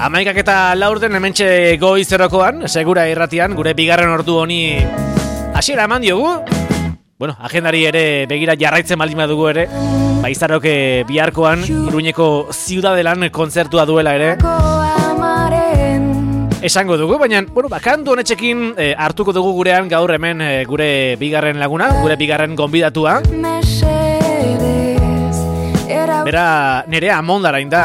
11:04 hementxe goizerokoan, segura irratian, gure bigarren ordu honi hasiera eman diogu. Bueno, agendari ere begira jarraitzen baldin badugu ere, Izarok biharkoan Iruñeko Ziudadelan kontzertua duela ere esango dugu, baina, bueno, kantu honetxekin hartuko dugu gurean gaur hemen gure bigarren laguna, gure bigarren gonbidatua. Bera Nerea Amondarain da.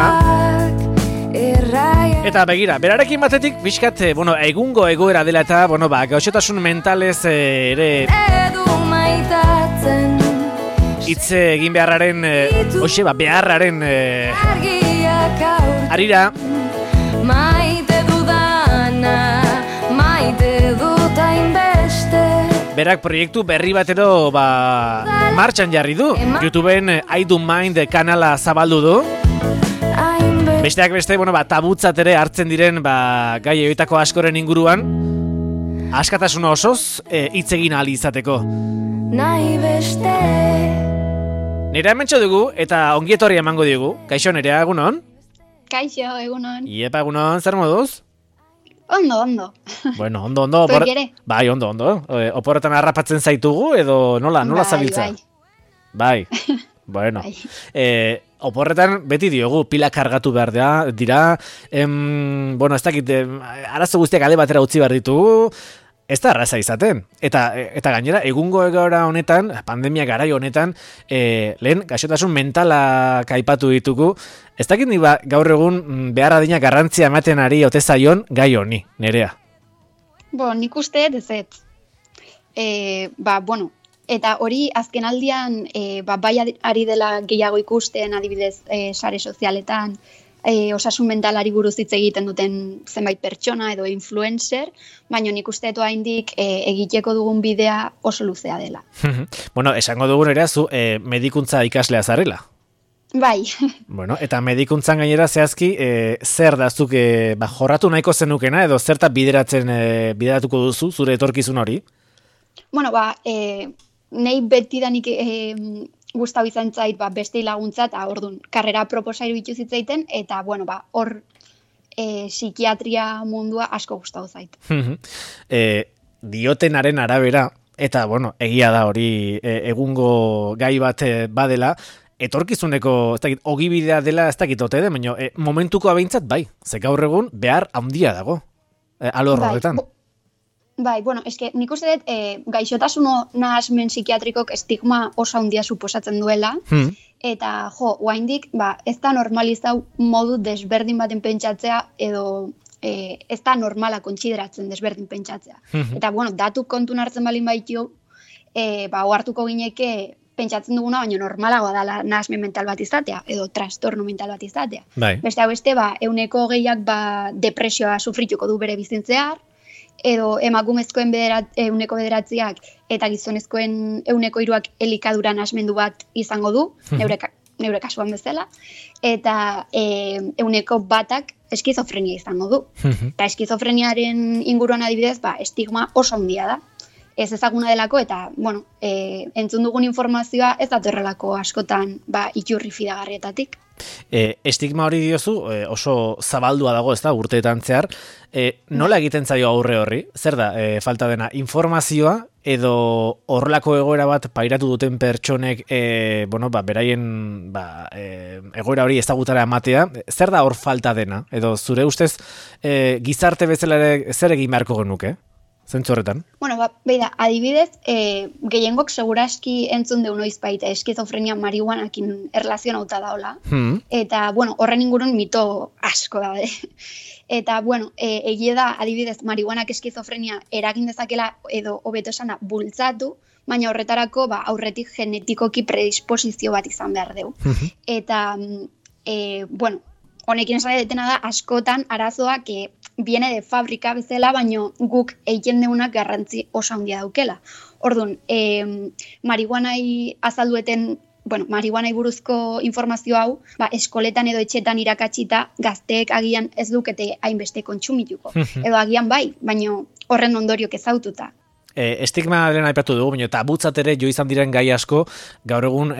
Eta begira, berarekin batetik bizkat, egungo egoera dela eta, gaixotasun mentalez ere hitz egin beharraren, beharraren arira. Berak proiektu berri batero martxan jarri du. YouTubeen I Do Mind kanala zabaldu du. Besteak beste, tabutzat ere hartzen diren gai horietako askoren inguruan askatasuna osoz hitz egin ahal izateko. Nerea hementxo dugu eta ongietorri emango digu. Kaixo Nerea, egunon? Kaixo, egunon. Iepa, egunon, zer moduz? Ondo. Bueno, ondo. Zuek ere? Bai, ondo. Oporretan harrapatzen zaitugu edo nola zabiltza? Bai. Bueno, oporretan beti diogu pila kargatu behar dira. Ez dakit, arazo guztiak alde batera utzi behar ditugu. Ez da arraza izaten. Eta gainera, egungo egoera honetan, pandemia garai honetan, lehen gaixotasun mentala aipatu ditugu. Ez dakit ni gaur egun behar adina garrantzia ematen ari ote zaion gai honi, Nerea. Nik uste dezet. Eta hori azken aldian bai ari dela gehiago ikusten, adibidez sare sozialetan, osasun mentalari buruz hitz egiten duten zenbait pertsona edo influencer, baina nik uste eto haindik egiteko dugun bidea oso luzea dela. Esango dugun ere, zu medikuntza ikaslea zarela. Bai. Eta medikuntzan gainera zehazki, zer da zuk jorratu nahiko zenukena edo zerta bideratuko duzu zure etorkizun hori? Nei betidanik gustau izan zait beste laguntza eta ordun karrera proposairu ditu zitzaiten eta hor psikiatria mundua asko gustau zait. Diotenaren arabera eta egia da hori egungo gai bat badela, etorkizuneko ogibidea dela ez dakit ote den, baina momentuko abeintzat bai, ze gaur egun behar handia dago alor horretan. Bai, eske nik uste dut gaixotasun nahasmen psikiatrikok estigma oso handia suposatzen duela, eta oraindik ez da normalizau modu desberdin baten pentsatzea edo ez da normala kontsideratzen desberdin pentsatzea. Eta datu kontun hartzen balin baitu, ohartuko gineke pentsatzen duguna, baina normalagoa dela nahasmen mental bat izatea edo trastorno mental bat izatea. Beste 20% depresioa sufrituko du bere bizitzean, edo emakumezkoen 9% eta gizonezkoen 3% elikadura nahasmendu bat izango du, neure kasuan bezala, eta 1% eskizofrenia izango du. Eta eskizofreniaren inguruan adibidez, estigma oso handia da. Ez ezaguna delako eta, entzun dugun informazioa ez datorrelako askotan iturri fidagarrietatik. Estigma hori diozu oso zabaldua dago, ez da, urteetan zehar. Nola egiten zaio aurre horri? Zer da, falta dena informazioa edo horrelako egoera bat pairatu duten pertsonek beraien egoera hori ezagutara ematea? Zer da hor falta dena? Edo zure ustez gizarte bezala ere zer egin beharko genuke? Zentzu horretan? Adibidez, gehiengok seguraski entzun deu noiz baita eskizofrenia marihuanakin erlazionauta daola. Eta, horren ingurun mito asko da. Eta, egia da, adibidez, marihuanak eskizofrenia eragin dezakela edo hobeto esana bultzatu, baina horretarako aurretik genetikoki predisposizio bat izan behar deu. Eta, honekin esan detena da, askotan arazoak viene de fabrika bezala, baino guk egiten deunak garrantzi oso handia daukela. Orduan, marihuanai azaldueten, marihuanai buruzko informazio hau, eskoletan edo etxetan irakatsita gazteek agian ez dukete hainbeste kontsumituko. Edo agian bai, baino horren ondoriok ezaututa. Estigma lehen aipatu dugu, baina tabutzat ere jo izan diren gai asko gaur egun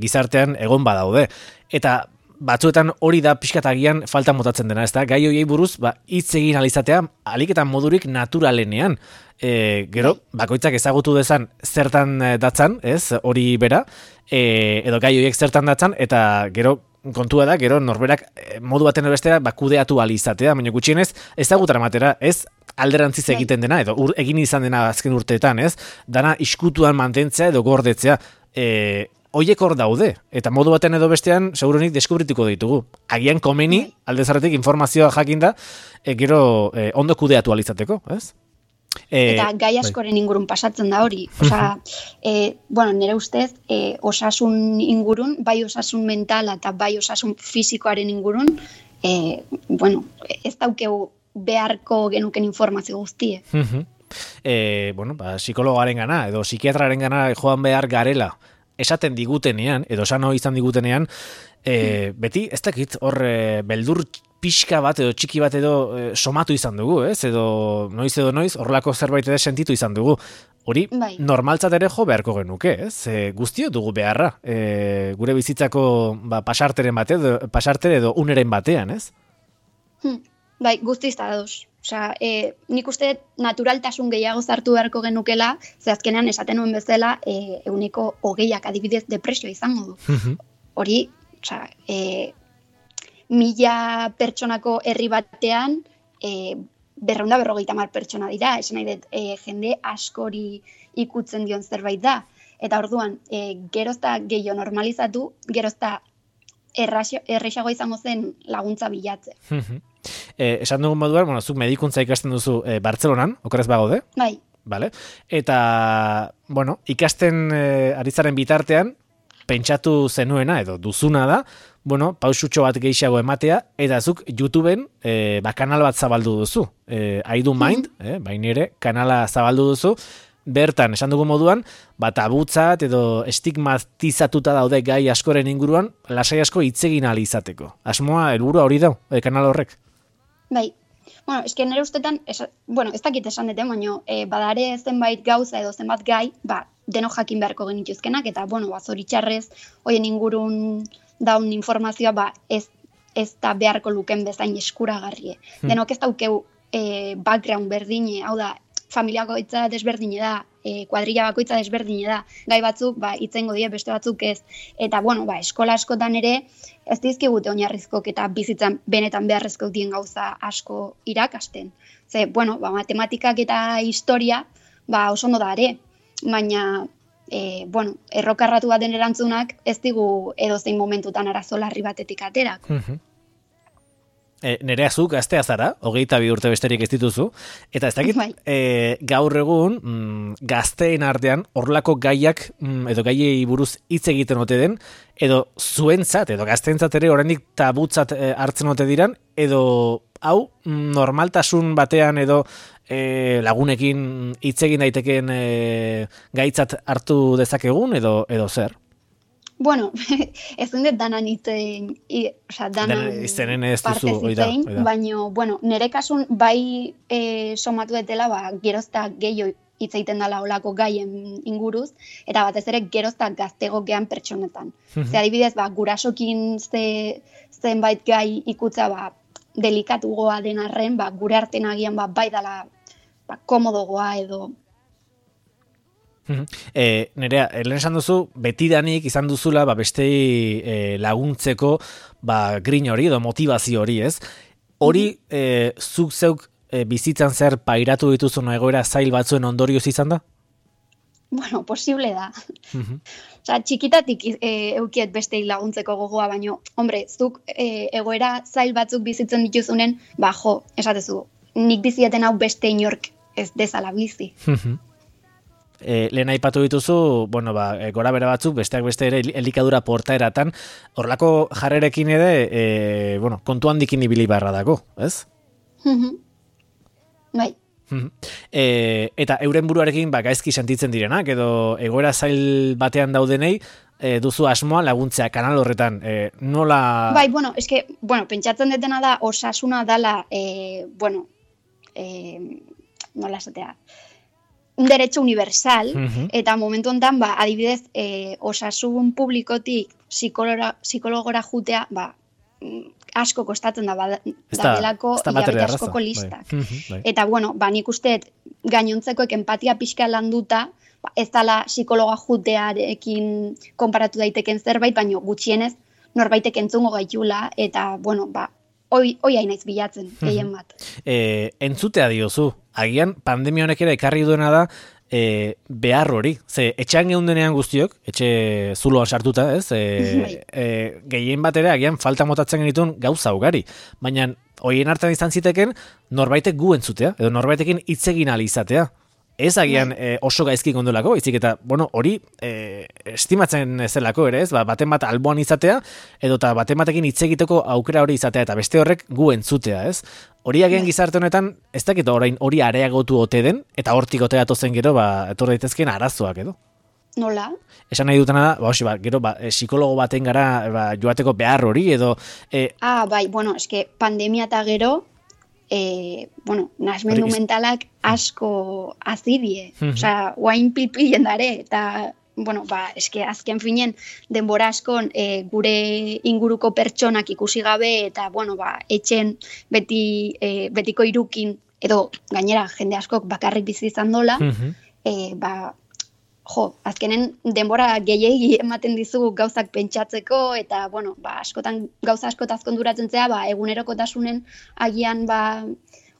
gizartean egon badaude. Eta batzuetan hori da pixkatagian falta motatzen dena, ez da? Gai horiei buruz, hitz egin alizatea, aliketan modurik naturalenean. Gero, bakoitzak ezagutu dezan zertan datzan, ez? Hori bera, edo gai horiek zertan datzan, eta gero, kontua da, gero norberak modu baten bestera kudeatu alizatea, baina gutxienez ezagutara matera, ez alderantziz egiten dena, edo egin izan dena azken urteetan, ez? Dana iskutuan mantentzea edo gordetzea, hoiek hor daude, eta modu baten edo bestean segurunik deskubrituko ditugu. Agian komeni, alde zarretik informazioa jakinda, gero ondo kudeatu alizateko, ez? Eta gai askoren ingurun pasatzen da hori. Osa, nire ustez, osasun ingurun, bai osasun mentala eta bai osasun fisikoaren ingurun, ez daukeu beharko genuken informazio guztie. Psikologoaren gana, edo psikiatraren gana joan behar garela, esaten digutenean, edo esano izan digutenean, beti, ez dakit, hor beldur pixka bat edo txiki bat edo somatu izan dugu, ez? Edo noiz, horrelako zerbait edo sentitu izan dugu. Hori, normaltzat ere jo beharko genuke, ez? Guztio dugu beharra, gure bizitzako pasartere edo uneren batean, ez? Bai, guztiz da doz. Osea, nik uste naturaltasun gehiago zartu beharko genukela, ze azkenean esaten nuen bezala, 20% adibidez depresio izango du. Hori, osea, 1000 pertsonako herri batean, 250 pertsona dira, esan nahi dut, jende askori ikutzen dion zerbait da. Eta orduan, gerozta gehiago normalizatu, gerozta errexago izango zen laguntza bilatze. Esan dugun moduan, zuk medikuntza ikasten duzu Bartzelonan, okerrez bagaude? Bai. Vale. Eta, ikasten ari zaren bitartean, pentsatu zenuena edo duzuna da, pausutxo bat gehiago ematea, eta zuk YouTubeen kanal bat zabaldu duzu. I Do Mind, bainere, kanala zabaldu duzu, bertan, esan dugu moduan, tabutzat edo estigmatizatuta daude gai askoren inguruan, lasai asko hitzegin ahal izateko. Asmoa, helburua hori da, kanal horrek? Bai. Eske nire ustetan, ez dakit esan dute, baina badare zenbait gauza edo zenbat gai, denok jakin beharko genituzkenak, eta, zoritxarrez, hoien ingurun daun informazioa, ez da beharko luken bezain eskuragarrie. Denok ez daukeu background berdine, hau da, familia bakoitza desberdine da, kuadrilla bakoitza desberdine da, gai batzuk itzengo die, beste batzuk ez. Eta, eskola askotan ere, ez dizkigute oinarrizkok eta bizitzan benetan beharrezkoak dien gauza asko irakasten. Ze, matematikak eta historia, oso ondo da ere, baina, errokarratu baten erantzunak ez digu edozein momentutan arazo larri batetik aterak. Nerea zu gaztea zara, 22 urte besterik ez dituzu, eta ez dakit, gaur egun gazteen artean horrelako gaiak edo gaiei buruz hitz egiten ote den, edo zuentzat edo gazteentzat ere oraindik tabutzat hartzen ote diran, edo hau normaltasun batean edo lagunekin hitz egin daitekeen gaitzat hartu dezakegun edo zer? Ez dut danan itzen, danan parte zitzen, baina, nire kasun bai somatu detela, gerozta gehiago hitz egiten dela olako gaien inguruz, eta batez ere gerozta gaztegokean pertsonetan. Ze adibidez, gurasokin zenbait gai ikutza, delikatugoa den arren, gure artean agian bai dela komodogoa edo... Nerea, lehen esan duzu, betidanik izan duzula bestei laguntzeko grin hori edo motivazio hori, ez? Hori zuk zeuk bizitzan zer pairatu dituzun egoera zail batzuen ondorioz izan da? Posible da. Txikitatik eukiet bestei laguntzeko gogoa, baino, zuk egoera zail batzuk bizitzen dituzunen, esatezu, nik bizieten hau beste inork ez dezala bizi. Lehen aipatu dituzu, gora bera batzuk, besteak beste ere elikadura portaeratan, horlako jarrerekin ere, kontu handikin ibili barra dago, ez? Bai. Eta euren buruarekin gaizki sentitzen direnak, edo egoera zail batean daudenei, duzu asmoa laguntzea kanal horretan, nola... Bai, pentsatzen detena da, osasuna dala, nola esatea, un derecho universal, eta momentu honetan, adibidez, osasun publikotik psikologora jutea, asko kostatzen da delako hilabete askoko listak. Bai. Eta, bueno, nik usteet gainontzekoek empatia pixka landuta, ez dala psikologa jutearekin konparatu daiteken zerbait, baina gutxienez norbaitek entzungo gaitula, eta, bueno, hoi hainaiz bilatzen, gehien bat. Entzutea diozu, agian pandemia honek ere ekarri duena da, behar hori, etxean geundenean guztiok, etxe zuloan sartuta, ez? Gehien bat ere, agian falta motatzen genituen gauza ugari, baina hoien artean izan ziteken norbaitek gu entzutea, edo norbaitekin hitz egin ahal izatea. Ez agian oso gaizki gondolako, izik eta, hori estimatzen zelako ere, ez? Baten bat alboan izatea, edo eta baten batekin hitz egiteko aukera hori izatea, eta beste horrek gu entzutea, ez? Hori agian gizarte honetan, ez dakit orain hori areagotu ote den, eta hortik ote datozen gero, etor daitezkeen arazoak edo. Nola? Esan nahi dutena da, gero, psikologo baten gara joateko behar hori, edo... Bai, eske pandemia eta gero, nahasmendu mentalak asko azidie. Osea, guain pilpilen dare, eta, eske azken finen denbora askon gure inguruko pertsonak ikusi gabe, eta, etxen betiko irukin, edo gainera jende askok bakarrik bizi izan dola, azkenen denbora gehiegi ematen dizu gauzak pentsatzeko, eta, askotan gauza askotaz konturatzen zea, egunerokotasunen agian,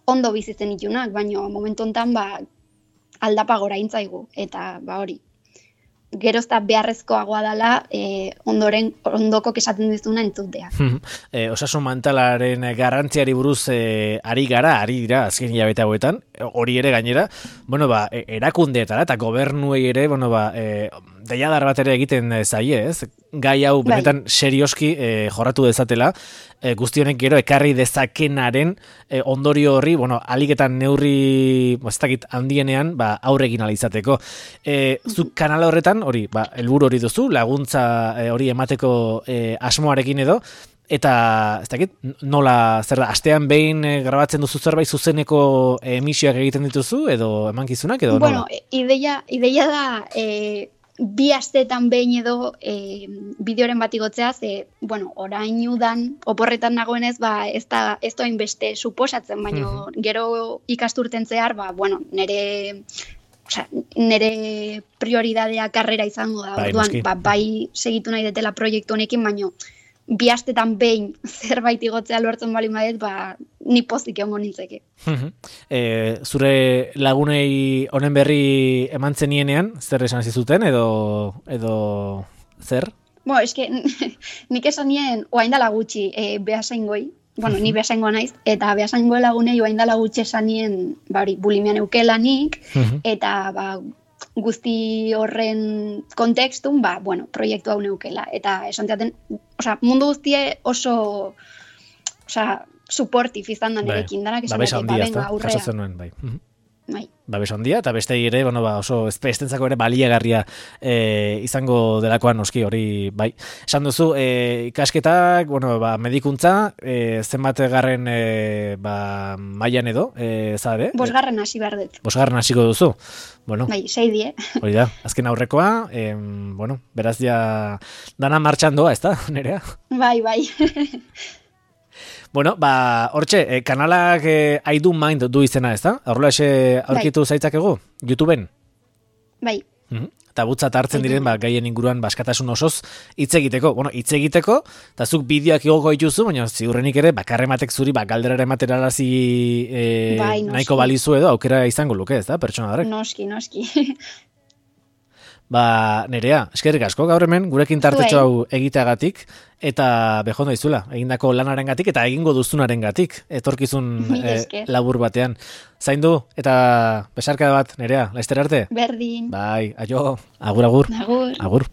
ondo bizitzen itunak, baina momentu honetan, aldapa gora intzaigu, eta, hori. Gerozta beharrezkoagoa dela ondoko esaten dizuna entzutea. Osasun mentalaren garrantziari buruz ari dira azken hilabete hauetan, hori ere gainera, erakundeetara eta gobernuei ere, deiadar bat ere egiten zaie, ez? Gai hau benetan serioski jorratu dezatela, guztionek gero ekarri dezakenaren ondorio horri, aliketan neurri handienean aurregin alizateko. Zuk kanal horretan, hori, helburu hori duzu, laguntza hori emateko asmoarekin edo, eta, ez dakit, nola, zer da, astean behin grabatzen duzu zerbait zuzeneko emisioak egiten dituzu, edo emankizunak, edo nola? Ideia da, bi asteetan behin edo bideoren bat igotzea, orain udan, oporretan nagoenez, ez da hainbeste suposatzen, baina gero ikasturten zehar, nire prioridadea karrera izango da, bai segitu nahi detela proiektu honekin, baina bi astetan behin zerbait igotzea lortzen bali madet, ni pozik egongo nintzeke. Zure lagunei honen berri eman zenienean, zer esan zizuten, edo zer? Eske, nik esan nien, oaindala gutxi behasaingoi, ni behasaingoa naiz, eta behasaingoa lagunei oaindala gutxi esan nien, bulimian eukelanik, eta guzti horren kontekstun, proiektu hau neukela. Eta esan teaten, mundu guztie oso, supportif izan da nerekin, danak esan teaten, aurrea. Babes handia, eta beste ere, oso estentzako ere baliagarria izango delakoan noski hori, bai. Esan duzu, ikasketak, medikuntza, zenbat garren mailan edo, zare? 5. hasi behar dut. 5. hasiko duzu? Bai, 6. Hori da, azken aurrekoa, beraz ja dana martxan doa, ez da, Nerea? Bai. Hortxe, kanalak I Do Mind du izena, ez da? Horrela aurkitu zaitzakegu, YouTubeen? Bai. Eta butzat hartzen diren, gaien inguruan askatasun osoz hitz egiteko. Hitz egiteko, eta zuk bideoak igoko dituzu, baina ziurrenik ere, bakarrematek zuri, galderara ematerarazi nahiko balizu edo, aukera izango luke, ez da, pertsona darek? Noski. Nerea, eskerrik asko gaur hemen, gurekin tartetxo hau egiteagatik, eta behondo izula, egindako lanaren gatik, eta egingo duzunaren gatik, etorkizun labur batean. Zaindu, eta besarka bat, Nerea, laizter arte? Berdin. Bai, aio, agur. Agur.